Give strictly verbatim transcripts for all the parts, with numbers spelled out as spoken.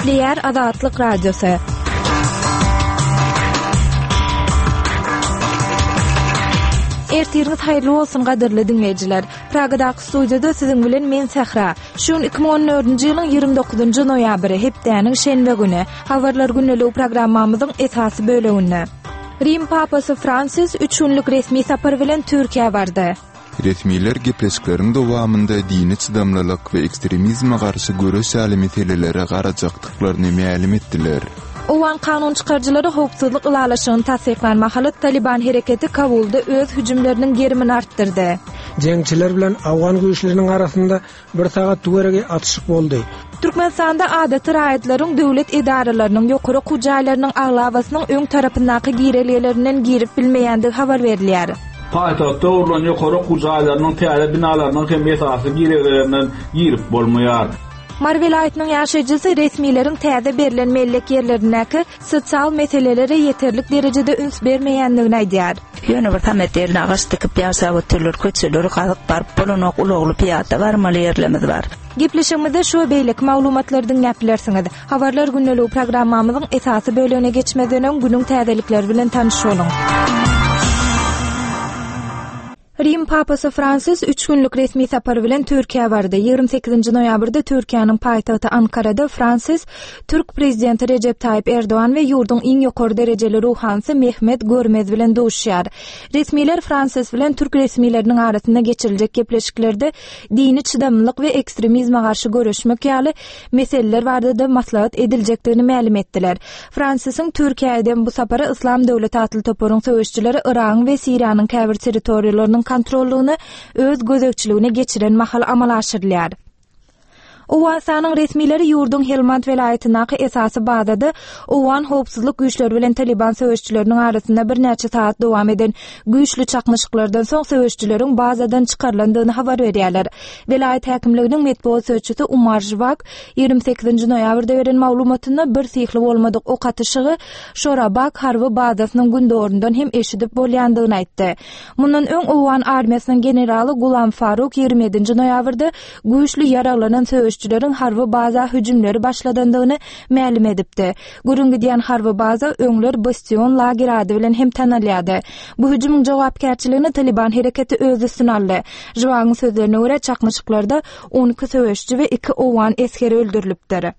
Gepleýär Azatlyk Radiosy. Ertiriňiz haýyrly bolsun gadyrly diňleýjiler. Pragadaky studiýada siziň bilen men Sähra. Şu gün iki müň on dördünji ýylyň ýigrimi dokuzynjy noýabry, hepdäniň şenbe güni. Habarlar gündeligi programmamyzyň esasy böleginde. Rim Papasy Fransis üç günlük resmi sapar bilen Türkiýä bardy. Resmiler gepleşikleriň dowamynda dini çydamlylyk we ekstremizme garşy göreş ýaly meselelere garajakdyklaryny mälim etdiler. Owgan kanun çykaryjylary howpsuzlyk ylalaşygyny tassyklan mahaly Taliban hereketi Kabulda öz hüjümleriniň gerimini artdyrdy. Jeňçiler bilen Owgan güýçleriniň arasynda bir sagat töweregi atyşyk boldy. Türkmenistanda adaty raýatlaryň döwlet edaralarynyň ýokary okuw jaýlarynyň aglabasynyň öň tarapyndaky girelgelerinden girip bilmeýändigi habar berilýär. Paýtagtda gurlan ýokary okuw jaýlarynyň täze binalarynyň hem esasy girelgelerinden girip bolmaýar. Mary welaýatynyň ýaşaýjysy resmileriň täze berlen mellek ýerlerindäki sosial meselelere ýeterlik derejede üns bermeýändigini aýdýar. Ýöne bir samet ýerine agaç dikip ýaşap otyrlar, köçeleri gazyp baryp bolanok, ulagly piýada barmaly ýerlerimiz bar. Gepleşigimizde şu we beýleki maglumatlary diňläp bilersiňiz. Habarlar gündeligi programmamyzyň esasy bölegine geçmezden öň günüň täzelikleri bilen tanyş boluň. Rim Papasy Fransis üç günlük resmi sapar bilen Türkiýä bardy. Ýigrimi sekizinji noýabrda Türkiýäniň paýtagty Ankarada Fransis türk prezidenti Rejep Taýyp Erdogan we ýurduň iň ýokary derejeli ruhanysy Mehmet Görmez bilen duşuşýar. Resmiler Fransis bilen türk resmileriniň arasynda geçiriljek gepleşiklerde dini çydamlylyk we ekstremizme garşy göreşmek ýaly meseleler barada maslahat ediljekdigini mälim etdiler. Fransisiň Türkiýä eden bu sapary Yslam döwleti atly toparyň söweşçileri Yragyň we Siriýanyň käbir territoriýalarynyň kontrollygyny öz gözegçiligine geçiren mahal amala aşyrylýar. Owganystanyň resmileri ýurduň Helmand welaýatyndaky esasy bazada Owgan howpsuzlyk güýçleri bilen Taliban söweşçileriniň arasynda birnäçe sagat dowam eden güýçli çaknyşyklardan soň söweşçileriň bazadan çykarylandygyny habar berýärler. Welaýat häkimliginiň metbugat sözçüsi Umar Jwak ýigrimi sekizinji noýabrda beren maglumatynda bir syhly bolmadyk ok atyşygy Şorabak harby bazasynyň gündoguryndan hem eşidip bolýandygyny aýtdy. Mundan öň Owgan armiýasynyň generaly Gulam Faruk ýigrimi ýedinji noýabrda güýçli ýaraglanan söweşçileriň harby baza hüjümleri başladandygyny mälim edipdi. Gürrüň gidýän harby baza öňler Bastion lager ady bilen hem tanalýardy. Bu hüjümiň jogapkärçiligini Taliban hereketi öz üstüne aldy. Jwagyň sözlerine görä çaknyşyklarda on iki söweşçi we iki owgan esgeri öldürilipdir.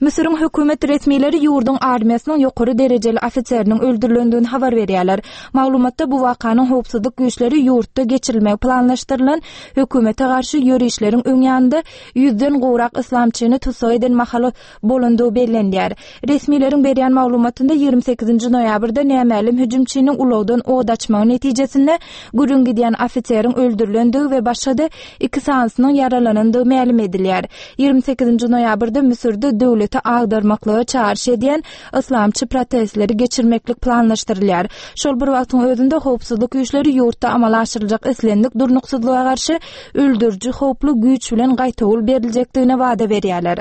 Müsüriň hökümet resmileri ýurduň armiýasynyň ýokary derejeli ofiseriniň öldürilendigini habar berýärler. Maglumatda bu wakanyň howpsuzlyk güýçleri ýurtda geçirilmegi planlaşdyrylan hökümete garşy ýörişleriň öň ýanynda ýüzden gowrak yslamçyny tussag eden mahaly bolandygy bellenýär. Resmileriň berýän maglumatynda ýigrimi sekizinji noýabrda nämälim hüjümçiniň ulagdan od açmagy netijesinde gürrüň gidýän ofiseriň öldürilendigi we başga-da iki sanysynyň ýaralanandygy mälim edilýär. Ýigrimi sekizinji noýabrda Müsürde döwleti agdarmaklyga çagyryş edýän yslamçy protestleri geçirmeklik planlaşdyrylýar. Şol bir wagtyň özünde howpsuzlyk güýçleri ýurtda amala aşyryljak islendik durnuksyzlyga garşy öldüriji howply güýç bilen gaýtawul beriljekdigine wada berýärler.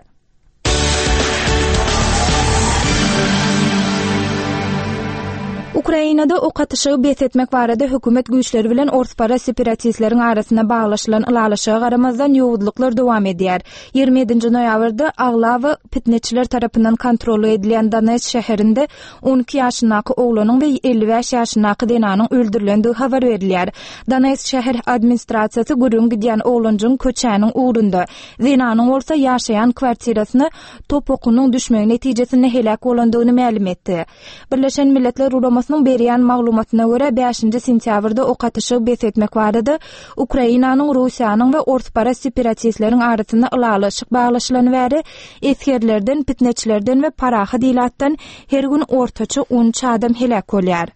Ukrainada ok atyşygy bes etmek barada hökümet güýçleri bilen orspara separatistleriň arasynda baglaşylan ylalaşyga garamazdan ýowuzlyklar dowam edýär. Ýigrimi ýedinji noýabrda aglaba pitneçiler tarapyndan kontrol edilýän Donetsk şäherinde on iki ýaşyndaky oglanyň we elli bäş ýaşyndaky zenanyň öldürilendigi habar berilýär. Donetsk şäher administrasiýasy gürrüň gidýän oglanjyň köçäniň ugrunda, zenanyň bolsa ýaşaýan kwartirasyna top okunyň düşmegi netijesinde heläk bolandygyny mälim etdi. Birleşen Milletler Guramasynyň berýän maglumatyna görä bäşinji sentýabrda ok atyşygy bes etmek barada Ukrainanyň, Russiýanyň we orspara separatistleriň arasynda ylalaşyk baglaşylany bäri esgerlerden, pitneçilerden we parahat ilatdan her gün ortaça on üç adam heläk bolýar.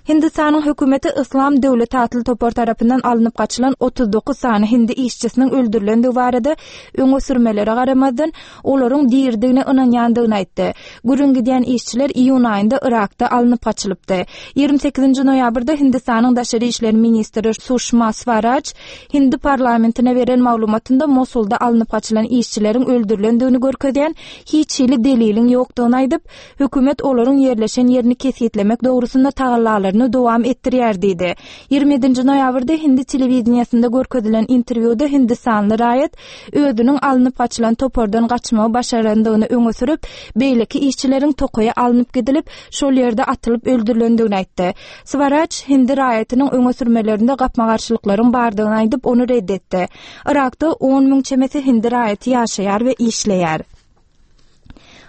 Hindistanyň hökümeti Yslam döwleti atly topar tarapyndan alnyp gaçylan otuz dokuz sany hindi işçisiniň öldürilendigi barada öňe sürmelere garamazdan olaryň diridigine ynanýandygyny aýtdy. Gürrüň gidýän işçiler iýun aýynda Irakda alnyp gaçylypdy. Ýigrimi sekizinji noýabrda Hindistanyň daşary işler ministri Suşma Swaraj Hindi parlamentine beren maglumatynda Mosulda alnyp gaçylan işçileriň öldürilendigini görkezýän hiç hili deliliň ýokdugyny aýdyp, hökümet olaryň ýerleşen ýerini kesgitlemek dogrusynda tagallalaryny çärelerini dowam etdirýär diýdi. Ýigrimi ýedinji noýabrda hindi telewideniýesinde görkezilen interwýuda hindistanly raýat özüniň alnyp gaçylan topardan gaçmagy başarandygyny öňe sürüp, beýleki işçileriň tokaýa alnyp gidilip, şol ýerde atylyp öldürilendigini aýtdy. Swaraj hindi raýatynyň öňe sürmelerinde gapma-garşylyklaryň bardygyny aýdyp, ony red etdi. Yrakda on müň çemesi hindi raýaty ýaşaýar we işleýär.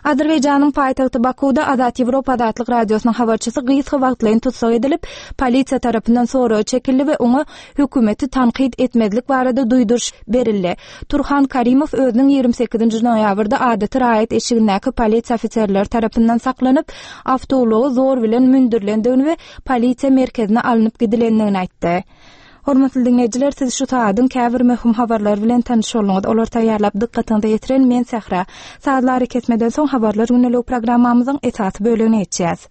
Azerbaýjanyň paýtagty Bakuwda Azat Ýewropa Azatlyk Radiosynyň habarçysy gysga wagtlaýyn tussag edilip, polisiýa tarapyndan soraga çekildi we oňa hökümeti tankyt etmezlik barada duýduryş berildi. Turhan Karimow özüniň ýigrimi sekizinji noýabrda adaty raýat eşigindäki polisiýa ofiserleri tarapyndan saklanyp, awtoulaga zor bilen mündürilendigini we polisiýa merkezine alnyp gidilendigini aýtdy. Hormatly diňleýjiler, siz şu saadyň käbir möhüm habarlary bilen tanyş bolduňyz. Olary taýýarlap dykgatyňyza ýetiren men Sähra. Sazlary kesmeden soň habarlar gündelik programmamyzyň esasy bölegine geçýäs.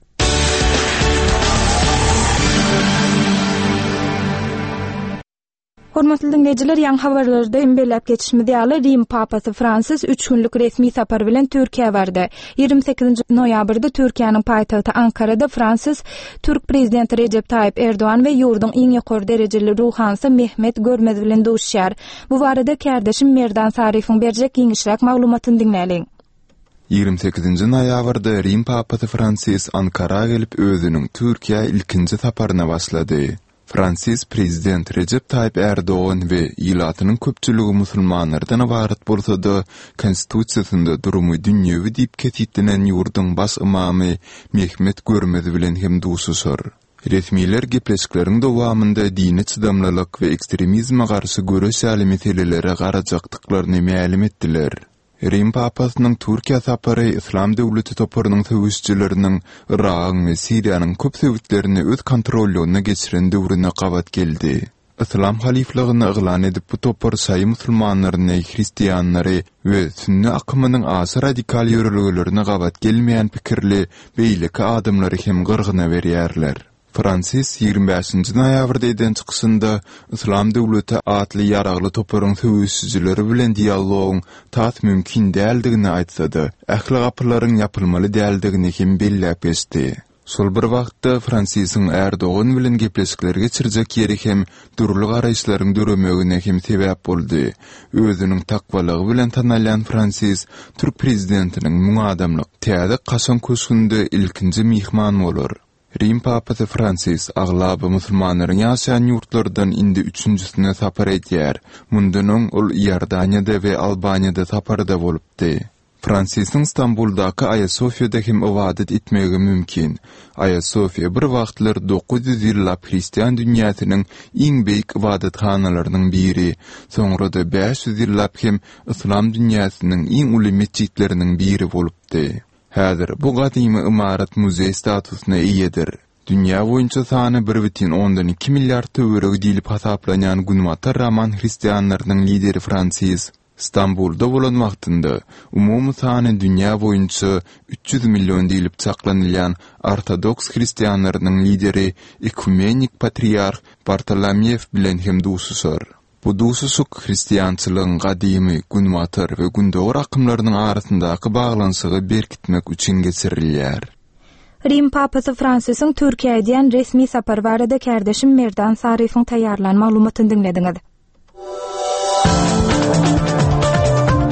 Hormatly diňleýjiler, ýaňy habarlarda hem belläp geçişimiz ýaly, Rim Papasy Fransis üç günlük resmi sapar bilen Türkiýä bardy. Ýigrimi sekizinji noýabrda Türkiýäniň paýtagty Ankarada Fransis türk prezidenti Rejep Taýyp Erdogan we ýurduň iň ýokary derejeli ruhanysy Mehmet Görmez bilen duşuşýar. Bu barada kärdeşim Merdan Saryfyň berjek giňişräk maglumatyny diňläliň. Ýigrimi sekizinji noýabrda Rim Papasy Fransis Ankara gelip özüniň Türkiýä ilkinji saparyna başlady. Fransis prezident Rejep Taýyp Erdogan we ilatynyň köpçüligi musulmanlardan ybarat bolsa-da, konstitusiýasynda durumy dünýewi diýip kesitlenen ýurduň baş ymamy Mehmet Görmez bilen hem duşuşar. Resmiler gepleşikleriň dowamynda dini çydamlylyk we ekstremizme garşy göreş ýaly meselelere garajakdyklaryny mälim etdiler. Rim Papasynyň Türkiýä sapary Yslam döwleti toparynyň söweşijileriniň Yragyň we Siriýanyň köp sebitlerini öz kontrollygyna geçiren döwrüne gabat geldi. Yslam halyflygyny yglan edip bu topar şaýy musulmanlaryny, hristianlary we sünni akymynyň aşa radikal ýörelgelerine gabat gelmeýän pikirli beýleki adamlary hem gyrgyna berýärler. Fransis ýigrimi bäşinji noýabrda eden çykyşynda Yslam döwleti atly ýaragly toparyň söweşijileri bilen dialogyň tas mümkin däldigini aýtsa-da, ähli gapylaryň ýapylmaly däldigini hem belläp geçdi. Şol bir wagtda Fransisiň Erdogan bilen gepleşikler geçirjek ýeri hem dürli garaýyşlaryň döremegine hem sebäp boldy. Özüniň takwalygy bilen tanalýan Fransis türk prezidentiniň müň adamlyk täze kaşaň köşgünde ilkinji myhman bolar. Rim Papasy Fransis aglaba musulmanlaryň ýaşaýan ýurtlardan indi üçünjisine sapar edýär. Mundan öň ol Iordaniýada we Albaniýada saparda bolupdy. Fransisiň Stambuldaky Aýasofýada hem ybadat etmegi mümkin. Aýasofýa bir wagtlar dokuz ýüz ýyllap hristian dünýäsiniň iň beýik ybadathanalarynyň biri, soňra-da bäş ýüz ýyllap hem yslam dünýäsiniň iň uly metjitleriniň biri bolupdy. Häzir bu gadymy ymarat muzeý statusyna eýedir. Dünýä boýunça sany bir bütin ondan iki milliard töweregi diýlip hasaplanýan Günbatar Roman hristianlarynyň lideri Fransis Stambulda bolan wagtynda umumy sany dünýä boýunça üç ýüz million diýlip çaklanylýan ortodoks hristianlarynyň lideri ekumenik patriarh Bartolomew bilen hem duşuşar. Bu duşuşyk hristiançylygyň gadymy Günbatar we Gündogar akymlarynyň arasyndaky baglanyşygy berkitmek üçin geçirilýär. Rim Papasy Fransisiň Türkiýä edýän resmi sapary barada kärdeşim Merdan Saryfyň taýýarlan maglumatyny diňlediňiz.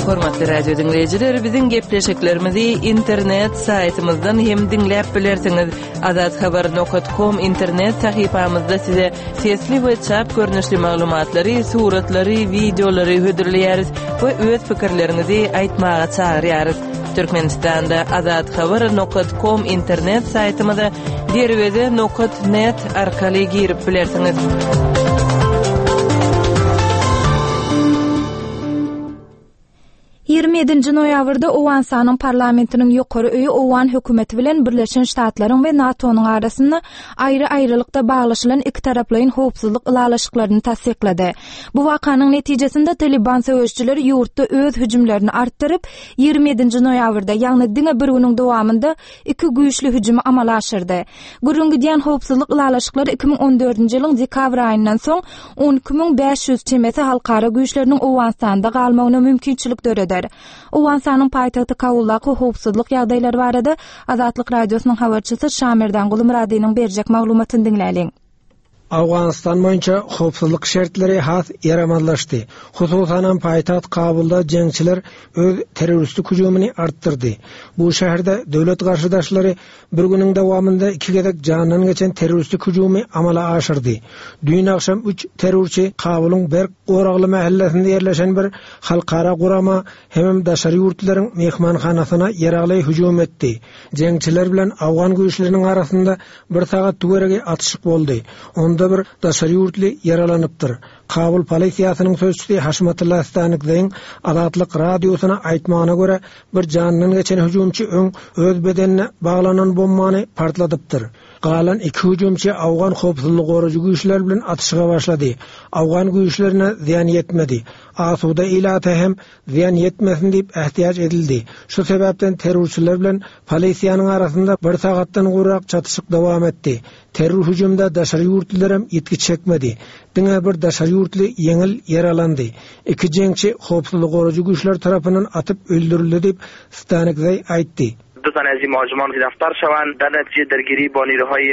Hormatly radio diňleýjiler, biziň gepleşiklerimizi internet saýtymyzdan hem diňläp bilersiňiz. Azathabar nokta com internet sahypamyzda size sesli we çap görnüşli maglumatlary, suratlary, wideolary hödürleýäris we öz pikirleriňizi aýtmaga çagyrýarys. Türkmenistanda azathabar nokta com internet saýtymyza derweze nokta net arkaly girip bilersiňiz. Ýigrimi ýedinji noýabrda Owganystanyň parlamentiniň ýokary öýi Owgan hökümeti bilen Birleşen Ştatlaryň we NATO-nyň arasynda aýry-aýrylykda baglaşylan iki taraplaýyn howpsuzlyk ylalaşyklaryny tassyklady. Bu wakanyň netijesinde Taliban söweşçileri ýurtda öz hüjümlerini artdyryp, ýigrimi ýedinji noýabrda, ýagny diňe bir günüň dowamynda iki güýçli hüjümi amala aşyrdy. Gürrüň gidýän howpsuzlyk ylalaşyklary iki müň on dördünji ýylyň dekabr aýyndan soň on iki müň bäş ýüz çemesi halkara güýçleriniň Owganystanda galmagyna mümkinçilik döreder. görkezer. Owganystanyň paýtagty Kabuldaky howpsuzlyk ýagdaýlary barada Azatlyk Radiosynyň habarçysy Şamerdan Gulumyradynyň berjek maglumatyny diňläliň. Owganystan boýunça howpsuzlyk şertleri has ýaramazlaşdy. Hususanam paýtagt Kabulda jeňçiler öz terroristik hüjümini artdyrdy. Bu şäherde döwlet garşydaşlary bir günüň dowamynda iki gezek jandan geçen terroristik hüjümi amala aşyrdy. Düýn agşam üç terrorçy Kabulyň berk goragly mahallesinde ýerleşen bir halkara gurama hemem daşary ýurtlaryň mehmanhanasyna ýaragly hüjüm etdi. Jeňçiler bilen Awgan güýçleriniň arasynda bir sagat töweregi atyşyk boldy. Onda bir daşary ýurtly ýaralanypdyr. Kabul polisiýasynyň sözçüsi Haşmatullah Stanikzeýiň Azatlyk radiosyna aýtmagyna görä bir jandan geçen hüjümçi öň öz bedenine baglanan bombany partladypdyr. Galan iki hüjümçi Awgan howpsuzlyk goraýjy güýçler bilen atyşyga başlady. Awgan güýçlerine zyýan ýetmedi. Asuda ilata hem zyýan ýetmesin diýip ähtiýaç edildi. Şu sebäpden terrorçylar bilen polisiýanyň arasynda bir sagatdan gowrak çatyşyk dowam etdi. Terror hüjümde daşary ýurtlylar hem ýitgi çekmedi. Diňe bir daşary ýurtly ýeňil ýaralandy. Iki jeňçi howpsuzlyk goraýjy güýçler tarapyndan atyp öldürildi diýip Stanikzeý aýtdy. دو تن از این مهاجمان گرفتار شوند. در نتیجه درگیری با نیروهای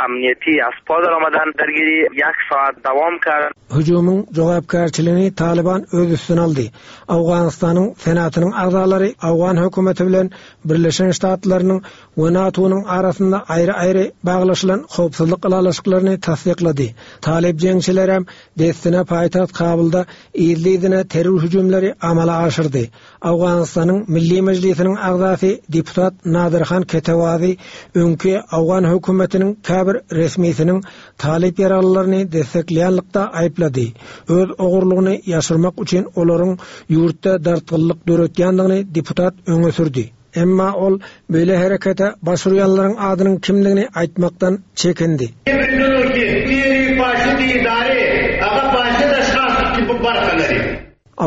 امنیتی از پا در آمدن. درگیری یک ساعت دوام کرد. Hüjümiň jogapkärçiligini Taliban öz üstüne aldy. Owganystanyň Senatynyň agzalary Awgan hökümeti bilen Birleşen Ştatlarynyň we NATO-nyň arasynda aýry-aýry baglaşylan howpsuzlyk ylalaşyklaryny tassyklady. Talip jeňçileri hem dessine paýtagt Kabulda yzly-yzyna terror hüjümleri amala aşyrdy. Owganystanyň Milli Mejlisiniň agzasy deputat Nadirhan Ketewazi öňki Awgan hökümetiniň käbir resmisiniň Talip ýaralylaryny destekleýänlikde aýyplady. Öz ogurlygyny ýaşyrmak üçin olaryň ýurtda dartgynlyk döretýändigini deputat öňe sürdi. Emma ol beýle herekete başvurýanlaryň adynyň kimligini aýtmakdan çekindi.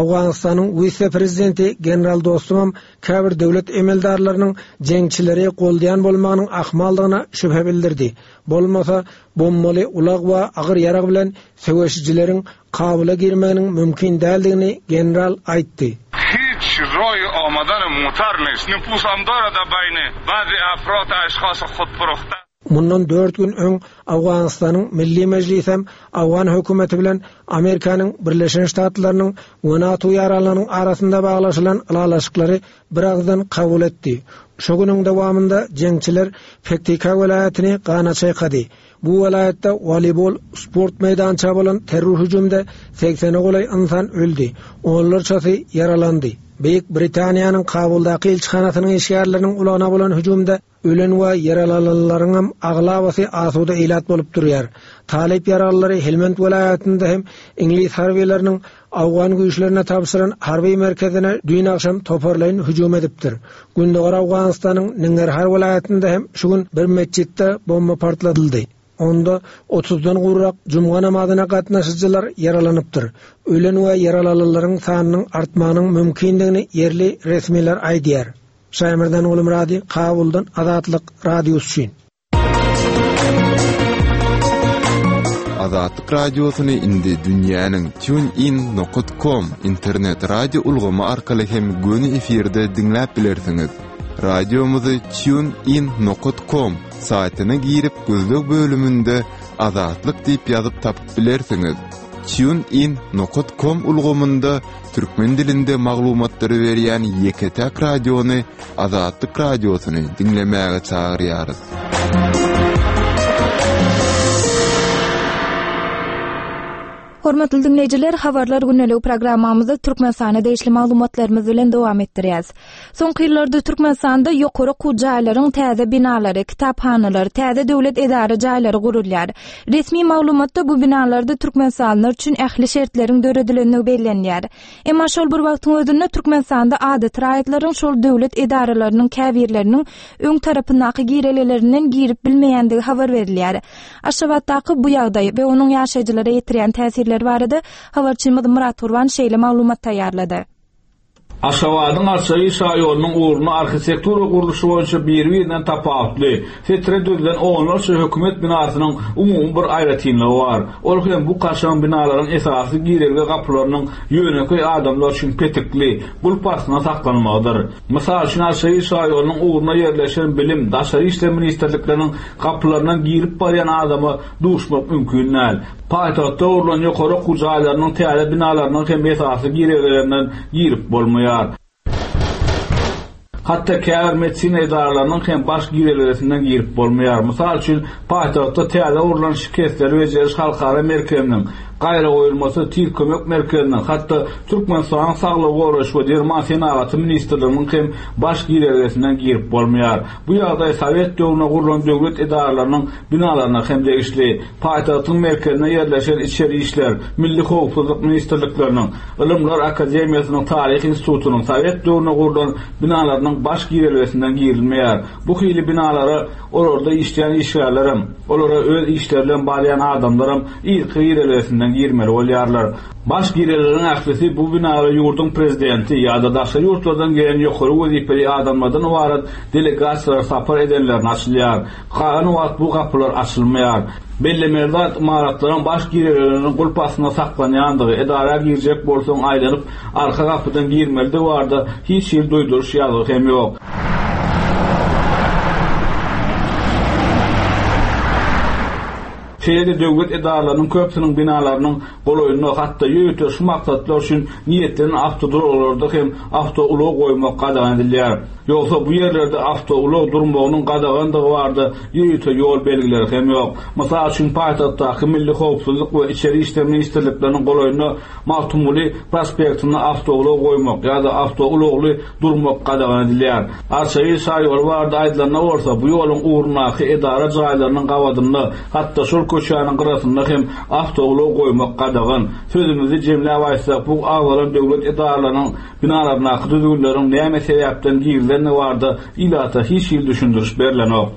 Owganystanyň wise-prezidenti General Dostumam käbir döwlet emeldarlarynyň jeňçileri goldaýan bolmagynyň ahmaldygyna şübhe bildirdi. Bolmasa bombaly ulag we agyr ýarag bilen söweşijileriň Kabula girmeginiň mümkin däldigini general aýtdy. Hiç roý omadan mutar neýst. Nüfus amdara da baýny ba'zi afrod aşhas khudfuruhta. Mundan dört gün öň Owganystanyň Milli Mejlisi hem Awgan hökümeti bilen Amerikanyň Birleşen Ştatlarynyň we NATO ýaranlarynyň arasynda baglaşylan ylalaşyklary bir agzdan kabul etdi. Şu günüň dowamynda jeňçiler Pektika welaýatyny gana çaýkady. Bu welaýatda voleybol sport meýdança bolan terror hüjümde seksene golaý insan öldi. Onlarçasy ýaralandy. Beýik Britaniýanyň Kabuldaky ilçihanasynyň işgärleriniň ulagyna bolan hüjümde ölen we ýaralananlaryň hem aglabasy asuda ilat bolup durýar. Talip ýaralylary Helmand welaýatynda hem Iňlis harbiýlarynyň Awgan güýçlerine tabşyran harby merkezine düýn agşam toparlaýyn hüjüm edipdir. Gündogar Awganystanyň Ningarhar welaýatynda hem şu gün bir metjitde bomba partladyldy. Onda otuzdan gowrak jumga namazyna gatnaşyjylar ýaralanypdyr. Ölen we ýaralananlaryň sanynyň artmagynyň mümkindigini ýerli resmiler aýdýar. Şaýmerdan Gulumyrady, Kabuldan Azatlyk Radiosy üçin. Azatlyk Radiosyny indi dünýäniň tunein nokta com internet radio ulgamy arkaly hem göni efirde diňläp bilersiňiz. Radiomyzy tunein nokta com saýtyna girip gözleg bölüminde Azatlyk diýip ýazyp tapyp bilersiňiz. Tunein nokta com ulgamynda türkmen dilinde maglumatlary berýän ýeke-täk radiony Azatlyk Radiosyny diňlemäge çagyrýarys. Hormatly dinleýjiler, habarlar gündelik programmamyzda Türkmenistana degişli maglumatlarymyz bilen dowam etdirýäs. Soňky ýyllarda Türkmenistanda ýokary okuw jaýlaryň täze binalary, kitaphanalar, täze döwlet edara jaýlary gurulýar. Resmi maglumatda bu binalarda Türkmenistanlylar üçin ähli şertleriň döredilendigi bellenýär. Emma şol bir wagtyň özünde Türkmenistanda adaty raýatlaryň şol döwlet edaralarynyň käbirleriniň öň tarapyndaky girelelerinden girip bilmeýändigi habar berilýär. Aşgabatdaky bu ýagdaý we onuň ýaşaýjylara ýetirýän täsirleri barada habarçymyz Murat Gurban şeýle maglumat taýýarlady. Aşgabadyň Arçabil şaýolunyň ugrunda arhitektura gurluşy boýunça biri-birinden tapawutly, setire düzülen onlarça hökümet binasynyň umumy bir aýratynlygy bar. Ol hem bu kaşaň binalaryň esasy girelge gapylarynyň ýönekeý adamlar üçin petikli, gulp astynda saklanmagydyr. Mysal üçin Arçabil şaýolunyň ugrunda ýerleşen bilim, daşary işler ministrlikleriniň gapylaryndan girip barýan adama duşmak mümkin däl. Paýtagtda gurlan ýokary okuw jaýlarynyň täze binalarynyň hem esasy girelgelerinden girip bolmaýar. Hatda käbir medisina edaralarynyň hem baş girelgelerinden girip bolmaýar. Mysal üçin, paýtagtda täze gurlan şikesleri bejeriş halkara merkeziniň, gaýra goýulmasy tiz kömek merkeziniň, hatda Türkmenistanyň Saglygy goraýyş we derman senagaty ministrliginiň hem baş girelgesinden girip bolmaýar. Bu ýagdaý Sowet döwründe gurlan döwlet edaralarynyň binalaryna hem degişli. Paýtagtyň merkezinde ýerleşen içeri işler, Milli howpsuzlyk ministrlikleriniň, Ylymlar akademiýasynyň Taryh institutynyň Sowet döwründe gurlan binalarynyň baş girelgesinden girilmeýär. Bu hili binalara olarda işleýän işgärlerim, olara öz işleri bilen barýan adamlarym ilki girelgesinden girmeli bolýarlar. Baş girelgelerin ählisi bu binalara ýurduň prezidenti ýa-da daşary ýurtlardan gelen ýokary wezipeli adamlardan ybarat delegasiýalar sapar edenlerine açylýar. Galan wagt bu gapylar açylmaýar. Belli zat ymaratlaryň baş girelgeleriniň gulp astynda saklanýandygy, edara girjek bolsaň aýlanyp arka gapydan girmelidigi barada hiç hili duýduryş ýazgy hem ýok. Şeýle döwlet edaralarynyň köpüsiniň binalarynyň golaýynda hatda ýörite şu maksatlar üçin niýetlenen awtoduralgalarda hem awtoulag goýmak gadagan edilýär. Ýogsa bu ýerlerde awtoulag durmagynyň gadagandygy barada ýörite ýol belgileri hem ýok. Mysal üçin paýtagtdaky Milli howpsuzlyk we içeri işler ministrlikleriniň golaýynda Magtymguly prospektinde awtoulag goýmak ýa-da awtoulagly durmak gadagan edilýär. Arçabil şaýoly barada aýdylanda bolsa bu ýoluň ugrundaky edara jaýlarynyň gabadynda hatda şol köçäniň gyrasynda hem awtoulag goýmak gadagan. Sözümizi jemläp aýtsak, bu agzalan döwlet edaralarynyň binalaryndaky düzgünleriň näme sebäpden girizilendigi barada ilata hiç hili düşündiriş berilenok.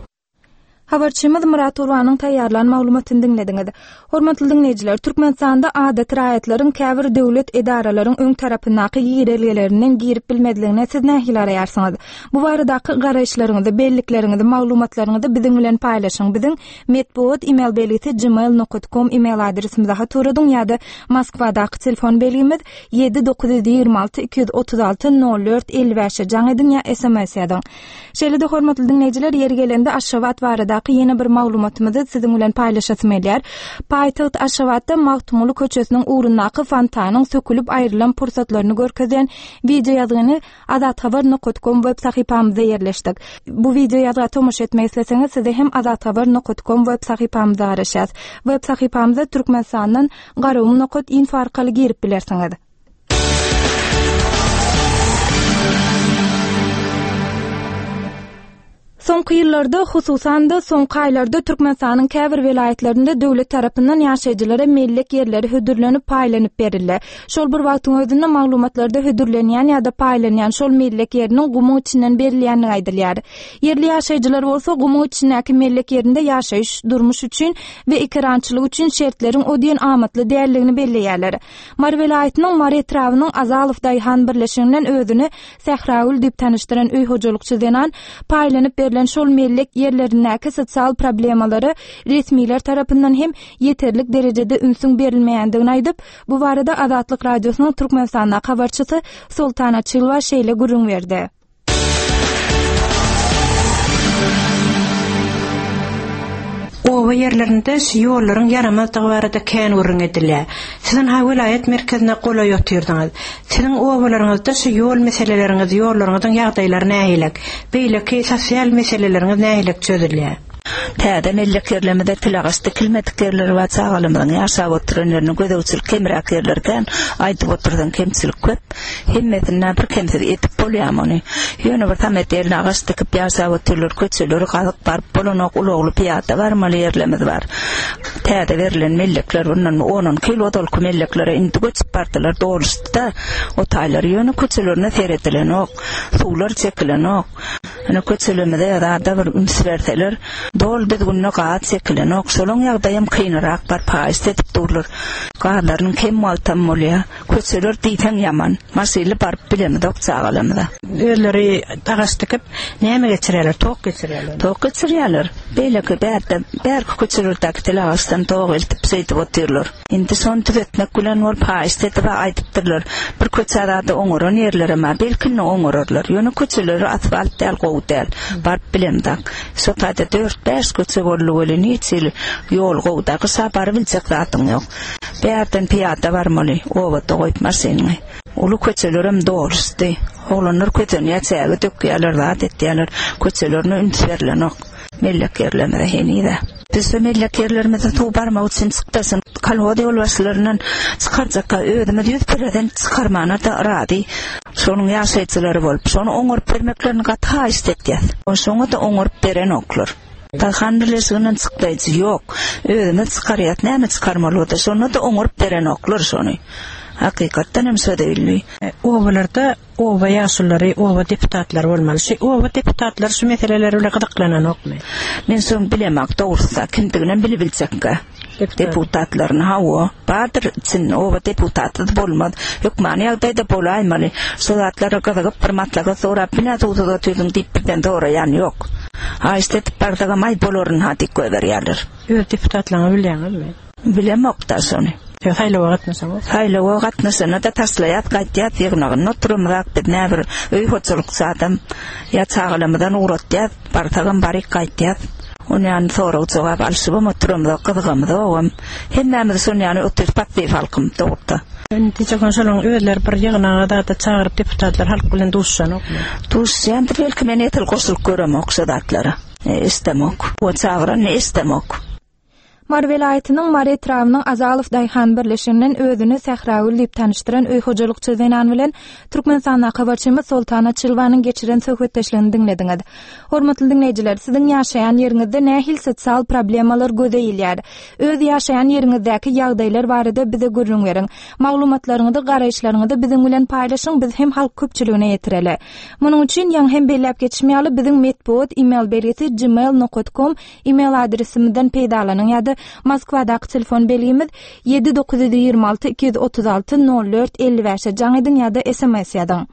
Habarçymyz Murat Urbanyň taýýarlan maglumatyny diňlediňiz. Hormatly diňleýjiler, Türkmenistanda adaty raýatlaryň käbir döwlet edaralaryň öň tarapyndaky girelgelerinden girip bilmezligine siz nähili araýarsyňyz? Bu baradaky garaýyşlaryňyzy, bellikleriňizi, maglumatlaryňyzy biziň bilen paýlaşyň. Biziň metbugat e-mail belgisi gmail nokta com e-mail adresimize hat ugradyň ýa-da Moskwadaky telefon belgimiz ýedi dokuz ýüz ýigrimi alty iki ýüz otuz alty nol dört elli bäşe jaň ediň ýa S M S ýazyň. Şeýle-de hormatly diňleýjiler, ýeri gelende Aşgabat barada ýene bir maglumatymyzy siziň bilen paýlaşasym gelýär. Paýtagt Aşgabatda Magtymguly köçesiniň ugrundaky fontanyň sökülip aýrylan pursatlaryny görkezýän wideo ýazgyny azathabar nokta com web sahypamyzda ýerleşdik. Bu wideo ýazga tomaşa etmek isleseňiz, size hem azathabar nokta com web sahypamyzda garaşýas. Web sahypamyza Türkmenistandan garagum nokta info arkaly girip bilersiňiz. Soňky ýyllarda, hususan-da soňky aýlarda Türkmenistanyň käbir welaýatlarynda döwlet tarapyndan ýaşaýjylara mellek ýerleri hödürlenip paýlanyp berildi. Şol bir wagtyň özünde maglumatlarda hödürlenýän ýa-da paýlanýan şol mellek ýeriniň gumuň içinden berilýändigi aýdylýar. Ýerli ýaşaýjylar bolsa gumuň içindäki mellek ýerinde ýaşaýyş, durmuş üçin we ekerançylyk üçin şertleriň o diýen amatly däldigini belleýärler. Mary welaýatynyň Mary etrabynyň Azalow Daýhan birleşiginden özüni Sähragül diýip tanyşdyran öý hojalykçy zenan paýlanyp berlen şol mellek ýerlerindäki sosial problemalara resmiler tarapyndan hem ýeterlik derejede ünsüň berilmeýändigini aýdyp, bu barada Azatlyk Radiosynyň Türkmenistandaky habarçysy Soltan Açylwa şeýle gürrüň berdi. Oba ýerlerinde şu ýollaryň ýaramazdygy barada kän gürrüň edilýär. Siziň ha welaýat merkezine golaý otyrdyňyz. Siziň obalaryňyzda şu ýol meseleleriňiz, ýollaryňyzyň ýagdaýlary nähili? Beýleki sosial meseleleriňiz nähili çözülýär? Täze mellek ýerlerimizde tilagaç dikilmedik ýerleri bar, çagalarymyzyň ýaşap oturan ýerine gözegçilik kemräk ýerlerden aýdyp otursaň kemçilik köp. Hemmesinden bir kemsiz edip bolýar ony. Ýöne bir samet ýerine agaç dikip ýaşap otyrlar, köçeleri gazyp baryp bolanok, ulagly piýada barmaly ýerlerimiz bar. Täze berlen mellekler bundan on on kilo ozalky melleklere indi göçüp bardylar, doluşdy-da. O taýlar ýöne köçelerine seredilenok, suwlar çekilenok. Ýöne köçelerimize zada bir üns berseler, dol düzgünde gaz çekilenok. Şolaň ýagdaýam kynyrak bar, paýyş edip durlar. Gazlarynyň kem wagtam bolýar. Köçeler diýseň ýaman. Maşynly baryp bilemizok çagalarymyza. Özleri agaç dikip näme geçirýärler? Tok geçirýärler. Tok geçirýärler. Beýleki bärde bärki köçelerdäki tel agaçdan tok eltip şeýdip otyrlar. Indi şony düzetmek bilen bolup haýyşt edip aýdypdyrlar. Bir köçe zady oňaran ýerlere ma belki indi oňararlar. Ýöne köçeleri asfalt däl, gowy däl. Baryp bilemzok. Şo taýda dört bäş köçe boldy welin hiç hili ýol gowy da gyşa barybiljek zadyň ýok. Bärden piýada barmaly, obada goýup maşynyňy. Uly köçelerem doluşdy. Oglanlar kösenýär, çäge dökýärler, zat etýärler. Köçelerine üns berilenok. Mellek ýerlerimize henize. Biz şu mellek ýerlerimize suw barmak üçin çykdasyn. Kolhoz ýolbaşçylaryndan çykarjakka özümiz ýüz prosent çykarmana da razy. Şonuň ýaşaýjylary bolup, şony oňaryp bermeklerini gaty haýyşt etýäs. Şoňa da oňaryp berenoklar. Daýhan birleşiginden çykdaýjy ýok. Özümiz çykarýas, näme çykarmaly bolsa, şonda da oňaryp berenoklar şony. Hakykatdan hem şo değilmi? Obalarda oba ýaşulylary, oba deputatlary bolmaly. Şu oba deputatlary şu meseleler bilen gyzyklananokmy? Men şoň bilemak dogrusu kimdigini bilibiljekkä. Deputatlaryny hawa, bardyr içinde oba deputaty bolmaz. Hökmany ýagdaýda bolaýmaly. Şo zatlara gyzygyp bir maslahat sorap, bina suwsuz otyrdyň diýip birden soraýan ýok. Haýyşt edip barsagam aý bolaryn ha diýip goýberýärler. Öz deputatlaryňy bilýäňizmi? Bilemok da şony. Ýa saýlawa gatnaşaňyz? Saýlawa gatnaşana da taşlaýat, gaýtýat, ýygnagynda oturymyzak biz näbir öý hojalykçy adam ýa çagalarymyzdan ugratýas, barsagam baryk gaýtýas. Ony ýany sorag jogap alşybam oturymyzak, gyzygamyzogam. Hemmämiz şony ýany oturyp passiw halkym dogruda. Indi şonuň özleri bir ýygnaga da çagyryp deputatlar halk bilen duşuşanokmy? Duşuşýandyr, belki men etil goşulyp göremok şo zatlara. E, istemok. O çagyran ne istemok. Mary welaýatynyň Mary etrabynyň Azalow Daýhan birleşiginden özüni Sähragül diýip tanyşdyran öý hojalykçy zenan bilen Türkmenistandaky habarçymyz Soltana Çylwanyň geçiren söhbetdeşligini diňlediňiz. Hormatly diňleýjiler, siziň ýaşaýan ýeriňizde nähili sosial problemalar göze ilýär? Öz ýaşaýan ýeriňizdäki ýagdaýlar barada bize gürrüň beriň. Maglumatlaryňyzy, garaýyşlaryňyzy biziň bilen paýlaşyň, biz hem halk köpçüligine ýetireli. Munuň üçin ýaňy hem belläp geçim ýaly biziň metbugat e-mail belgisi gmail nokta com e-mail adresimizden peýdalanyň ýa-da Moskwadaky telefon belgimiz ýedi dokuz ýüz ýigrimi alty iki ýüz otuz alty nol dört elli bäşe jaň ediň ýa-da S M S ýazyň.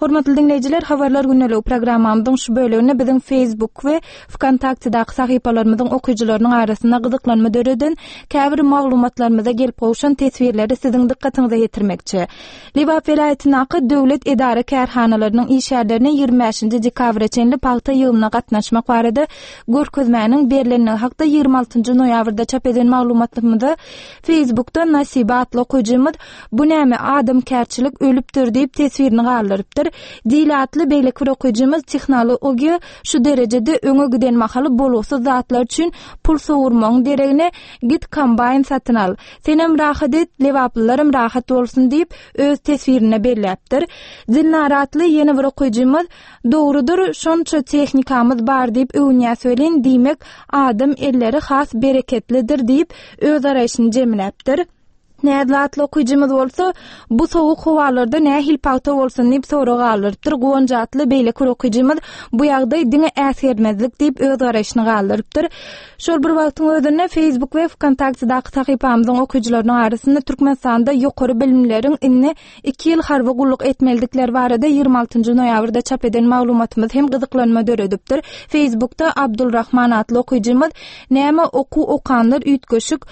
Hormatly diňleýjiler, habarlar gündeligi programmamyzyň şu böleginde biziň Facebook we Vkontaktedaky sahypalarymyzyň okyjylarynyň arasynda gyzyklanma döreden käbir maglumatlarymyza gelip gowşan teswirleri siziň dykgatyňyza ýetirmekçi. Lebap welaýatyndaky döwlet edara kärhanalarynyň işgärlerine ýigrimi bäşinji dekabra çenli pagta ýygymyna gatnaşmak barada görkezmäniň berlenligi hakda ýigrimi altynjy noýabrda çap eden maglumatymyza Facebookda Nasiba atly okyjymyz bu näme adamkärçilik ölüpdir diýip teswirini galdyrypdyr. Dil atly beýleki bir okyjymyz tehnologiýa şu derejede öňe giden mahaly bolgusyz zatlar üçin pul sowurmagyň deregine git kombaýn satyn al. Senem rahat et, lebaplylaram rahat bolsun diýip öz teswirine belläpdir. Dilnar atly ýene bir okyjymyz dogrudyr, şonça tehnikamyz bar diýip öwünýäs welin, diýmek adam elleri has bereketlidir diýip öz araýşyny jemläpdir. Näzli atly okyjymyz bolsa, bu sowuk howalarda nähili pagta bolsun diýip sorag galdyrypdyr. Guwanç atly beýleki bir okyjymyz bu ýagdaý diňe äsgermezlik diýip öz garaýşyny galdyrypdyr. Şol bir wagtyň özünde Facebook we Vkontaktedaky sahypamyzyň okyjylarynyň arasynda Türkmenistanda ýokary bilimleriň indi iki ýyl harby gulluk etmelidikleri barada ýigrimi altynjy noýabrda çap eden maglumatymyz hem gyzyklanma döredipdir. Facebookda Abdulrahman atly okyjymyz näme okuw okanlar üýtgeşik,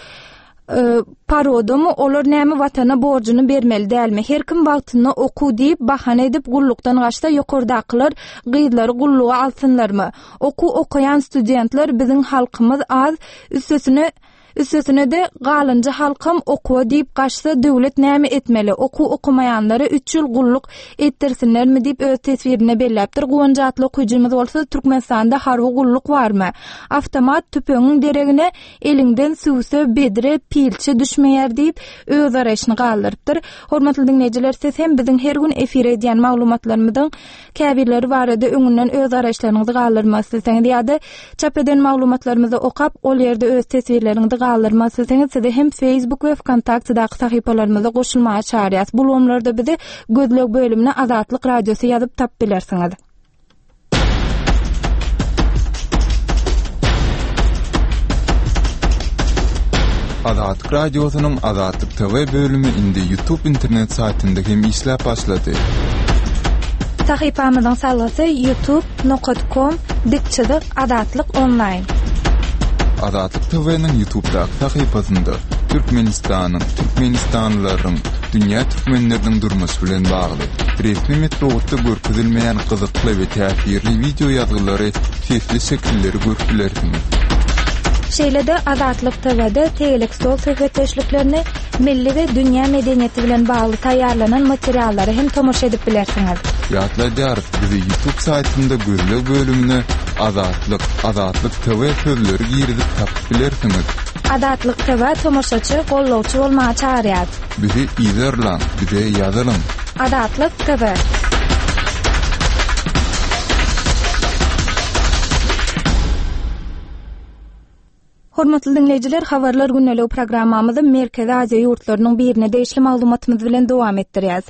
e, parodomy, olar näme watana borjuny bermeli dälmi? Her kim wagtynda okuw diýip bahana edip gullukdan gaçsa ýokardakylar gyzlary gulluga alsynlarmy? Okuw okaýan studentler biziň halkymyz az, üstesine üstesine de galynjy halkam okuwa diýip gaçsa döwlet näme etmeli? Okuw okamaýanlara üç ýyl gulluk etdirsinlermi diýip öz teswirine belläpdir. Guwanç atly okyjymyz bolsa Türkmenistanda harby gulluk barmy? Avtomat tüpeňiň deregine eliňden süwse bedre pilçe düşmeýär diýip öz araýşyny galdyrypdyr. Hormatly diňleýjiler, siz hem biziň her gün efir edýän maglumatlarymyzyň käbirleri barada öňünden öz araýyşlaryňyzy galdyrmak isleseňiz ýa-da çap eden maglumatlarymyzy okap, ol ýerde öz teswirleriňizi galdyrmak isleseňiz, sizi hem Facebook we Vkontaktedaky sahypalarymyza goşulmaga çagyrýas. Bu ulgamlarda bizi gözleg bölümine Azatlyk Radiosy ýazyp tap bilersiňiz. Azatlyk Radiosynyň Azatlyk T V bölümi indi YouTube internet saýtynda hem işläp başlady. Sahypamyzyň salgysy youtube nokta com dik çyzyk Azatlyk online. Azatlyk T V'niň YouTube'daky sahypasynda Türkmenistanyň, Türkmenistanlylaryň, dünýä türkmenleriniň durmuşy bilen bagly resmi metbugatda görkezilmeýän gyzykly we täsirli wideo ýazgylary, sesli şekilleri görüp bilersiňiz. Şeýle-de Azatlyk T V'de tegelek stol söhbetdeşliklerini, milli we dünýä medeniýeti bilen bagly taýýarlanan materiallary hem tomaşa edip bilersiňiz. Ýatladýarys, bizi YouTube saýtynda gözleg bölümine Azatlyk, Azatlyk T V sözleri girizip tapyp bilersiňiz. Azatlyk T V tomaşaçy, gollawçy bolmaga çagyrýar. Bizi yzarlaň, bize ýazylyň. Azatlyk T V. Hormatly dinleýjiler, habarlar gündelik programmamyzy Merkezi Aziýa ýurtlarynyň birine degişli maglumatymyz bilen dowam etdirýäris.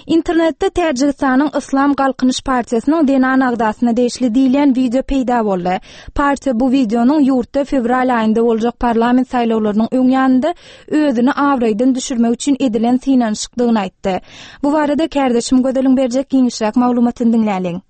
Internetde Täjigistanyň Islam Galkynyş partiýasynyň zenan agzasyna degişli diýilýän wideo peýda boldy. Partiýa bu wideonyň ýurtda fewral aýynda boljak parlament saýlawlarynyň öň ýanynda özüni abraýdan düşürmek üçin edilen synanyşykdygyny aýtdy. Bu barada kärdeşim Gözeliň berjek giňişräk maglumatyny diňläliň.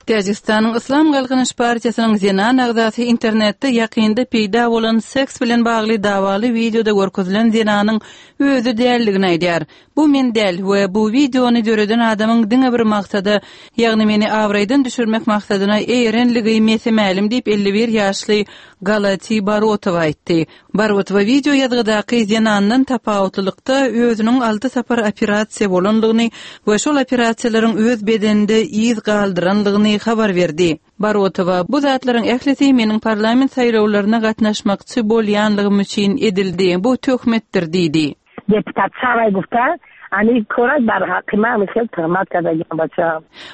Täjigistanyň Islam Galkynyş partiýasynyň zenan agzasy internetde ýakynda peýda bolan seks bilen bagly dawaly wideoda görkezilen zenanyň özi däldigini aýdýar. Bu men däl we bu wideony döreden adamyň diňe bir maksada, ýagny meni abraýdan düşürmek maksadyna eýerenligi mese-mälim diýip elli bir ýaşly Galati Barotowa aýtdy. Barotowa wideo ýazgydaky zenandan tapawutlylykda özüniň alty sapar operasiýa bolandygyny we şol operasiýalaryň öz bedeninde yz galdyrandygyny habar berdi. Barotowa, bu zatlaryň ählisi meniň parlament saýlawlaryna gatnaşmakçy bolýanlygym üçin edildi. Bu töhmetdir diýdi. Deputat çaray gufta, ani koray bar hakima misal tuhmat kadagan baça.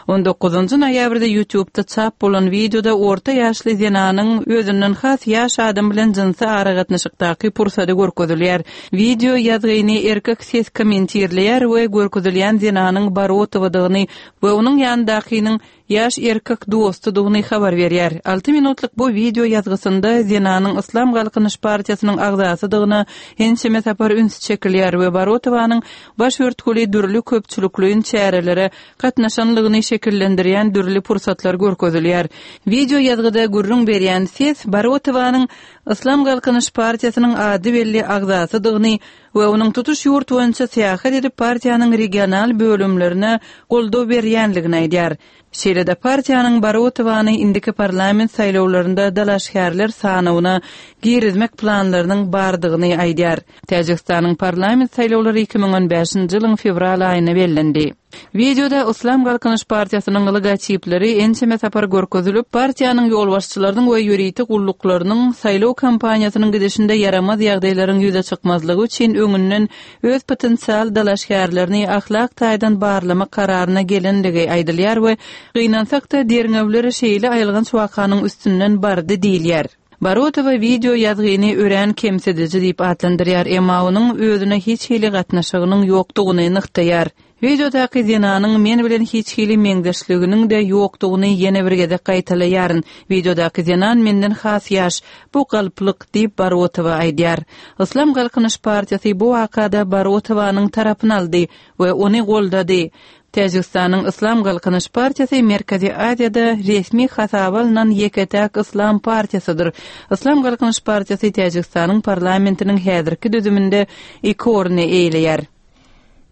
on dokuzynjy noýabrda YouTube'da çap bolan wideoda orta ýaşly zenanyň özünden has ýaş adam bilen jynsy aragatnaşykdaky pursady görkezilýär. Wideo ýazgyny erkek ses kommentirleýär we görkezilýän zenanyň Barotowadygyny we onuň ýanyndakynyň ýaş erkek dostudygyny habar berýär. alty minutlyk bu wideo ýazgysynda zenanyň Islam Galkynyş partiýasynyň agzasydygyna ençeme sapar üns çekilýär we Barotowanyň baş örtgüli dürli köpçülikleýin çärelere gatnaşanlygyny şekillendirýän dürli pursatlar görkezilýär. Wideo ýazgyda gürrüň berýän ses Barotowanyň Islam Galkynyş partiýasynyň ady belli agzasydygyny we onuň tutuş ýurt boýunça syýahat edip partiýanyň regional bölümlerine goldaw berýänligini aýdýar. Şeýle-de partiýanyň Barotowany indiki parlament saýlawlarynda dalaşgärler sanawyna girizmek planlarynyň bardygyny aýdýar. Täjigistanyň parlament saýlawlary iki müň on bäşinji ýylyň fewral aýyna bellendi. Wideoda Islam Galkynyş partiýasynyň logotipleri ençeme sapar görkezilip, partiýanyň ýolbaşçylarynyň we ýörite gulluklarynyň saýlaw kampaniýasynyň gidişinde ýaramaz ýagdaýlaryň ýüze çykmazlygy üçin öňünden öz potensial dalaşgärlerini ahlak taýdan barlamak kararyna gelenligi aýdylýar we gynansak-da derňewler şeýle aýylganç wakanyň üstünden bardy diýilýär. Barotowa wideo ýazgyny örän kemsidiji diýip atlandyrýar, emma onuň özüne hiç hili gatnaşygynyň ýokdugyny nygtaýar. Wideodaky zenanyň men bilen hiç hili meňzeşliginiň de ýokdugyny ýene bir gezek gaýtalaýaryn. Wideodaky zenan menden has ýaş, bu galplyk diýip Barotowa aýdýar. Islam Galkynyş partiýasy bu wakada Barotowanyň tarapyny aldy we ony goldady. Täjigistanyň Islam Galkynyş partiýasy Merkezi Aziýada resmi hasaba alnan ýeke-täk Islam partiýasydyr. Islam Galkynyş partiýasy Täjigistanyň parlamentiniň häzirki düzüminde iki orny eýeleýär.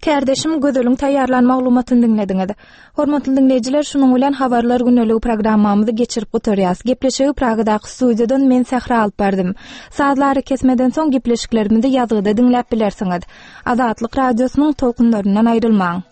Kärdeşim Gözeliň taýýarlan maglumatyny diňlediňiz. Hormatly dinleýjiler, şunuň bilen habarlar gündeligi programmamyzy geçirip gutarýas. Gepleşigi Pragadaky studiýadan men Sähra alyp bardym. Sazlary kesmeden soň gepleşiklerimizi ýazgyda diňläp bilersiňiz. Azatlyk radiosynyň tolkunlaryndan aýrylmaň.